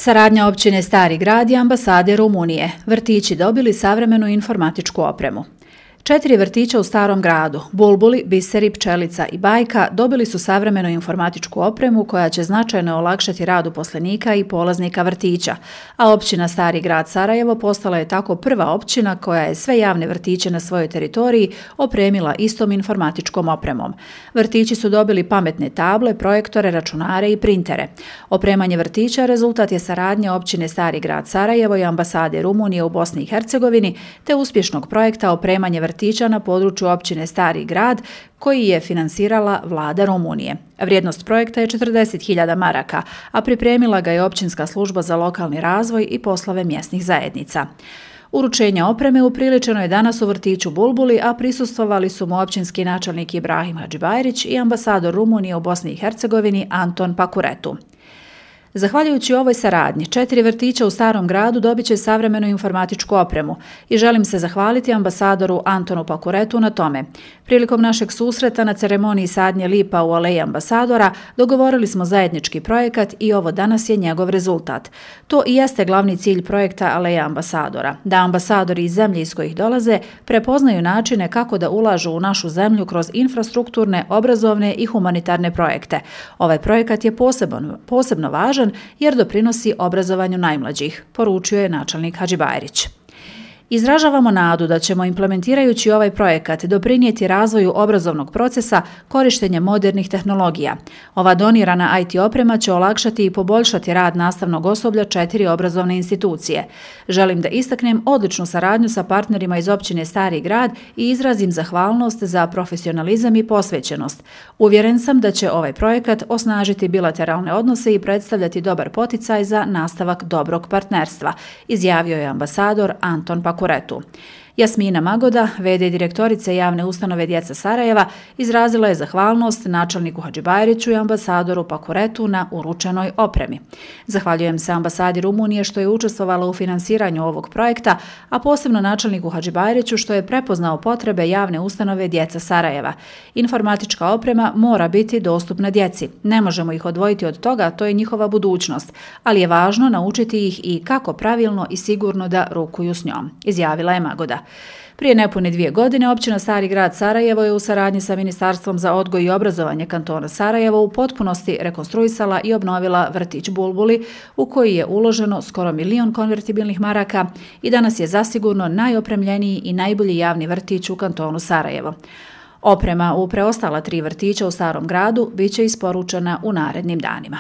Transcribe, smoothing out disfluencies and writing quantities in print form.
Saradnja općine Stari Grad i ambasade Rumunije. Vrtići dobili savremenu informatičku opremu. 4 vrtića u Starom Gradu, Bulbuli, Biseri, Pčelica i Bajka, dobili su savremenu informatičku opremu koja će značajno olakšati rad uposlenika i polaznika vrtića, a općina Stari Grad Sarajevo postala je tako prva općina koja je sve javne vrtiće na svojoj teritoriji opremila istom informatičkom opremom. Vrtići su dobili pametne table, projektore, računare i printere. Opremanje vrtića rezultat je saradnje općine Stari Grad Sarajevo i ambasade Rumunije u Bosni i Hercegovini te uspješnog projekta opremanje vrtića na području općine Stari Grad koji je finansirala vlada Rumunije. Vrijednost projekta je 40.000 maraka, a pripremila ga je općinska služba za lokalni razvoj i poslove mjesnih zajednica. Uručenje opreme upriličeno je danas u vrtiću Bulbuli, a prisustvovali su mu općinski načelnik Ibrahim Hadžibajrić i ambasador Rumunije u Bosni i Hercegovini Anton Pakuretu. Zahvaljujući ovoj saradnji, 4 vrtića u Starom Gradu dobit će savremenu informatičku opremu i želim se zahvaliti ambasadoru Antonu Pakuretu na tome. Prilikom našeg susreta na ceremoniji sadnje lipa u aleji ambasadora dogovorili smo zajednički projekat i ovo danas je njegov rezultat. To i jeste glavni cilj projekta Aleja ambasadora, da ambasadori iz zemlje iz kojih dolaze prepoznaju načine kako da ulažu u našu zemlju kroz infrastrukturne, obrazovne i humanitarne projekte. Ovaj projekat je posebno važan jer doprinosi obrazovanju najmlađih, poručio je načelnik Hadžibajrić. Izražavamo nadu da ćemo implementirajući ovaj projekat doprinijeti razvoju obrazovnog procesa korištenjem modernih tehnologija. Ova donirana IT oprema će olakšati i poboljšati rad nastavnog osoblja 4 obrazovne institucije. Želim da istaknem odličnu saradnju sa partnerima iz općine Stari Grad i izrazim zahvalnost za profesionalizam i posvećenost. Uvjeren sam da će ovaj projekat osnažiti bilateralne odnose i predstavljati dobar poticaj za nastavak dobrog partnerstva, izjavio je ambasador Anton Pakuretu. Jasmina Magoda, v.d. direktorice javne ustanove Djeca Sarajeva, izrazila je zahvalnost načelniku Hadžibajriću i ambasadoru Pakuretu na uručenoj opremi. Zahvaljujem se ambasadi Rumunije što je učestvovala u finansiranju ovog projekta, a posebno načelniku Hadžibajriću što je prepoznao potrebe javne ustanove Djeca Sarajeva. Informatička oprema mora biti dostupna djeci. Ne možemo ih odvojiti od toga, to je njihova budućnost, ali je važno naučiti ih i kako pravilno i sigurno da rukuju s njom, izjavila je Magoda. Prije nepune 2 godine općina Stari Grad Sarajevo je u saradnji sa Ministarstvom za odgoj i obrazovanje kantona Sarajevo u potpunosti rekonstruisala i obnovila vrtić Bulbuli u koji je uloženo skoro 1 milion konvertibilnih maraka i danas je zasigurno najopremljeniji i najbolji javni vrtić u kantonu Sarajevo. Oprema u preostala 3 vrtića u Starom Gradu biće isporučena u narednim danima.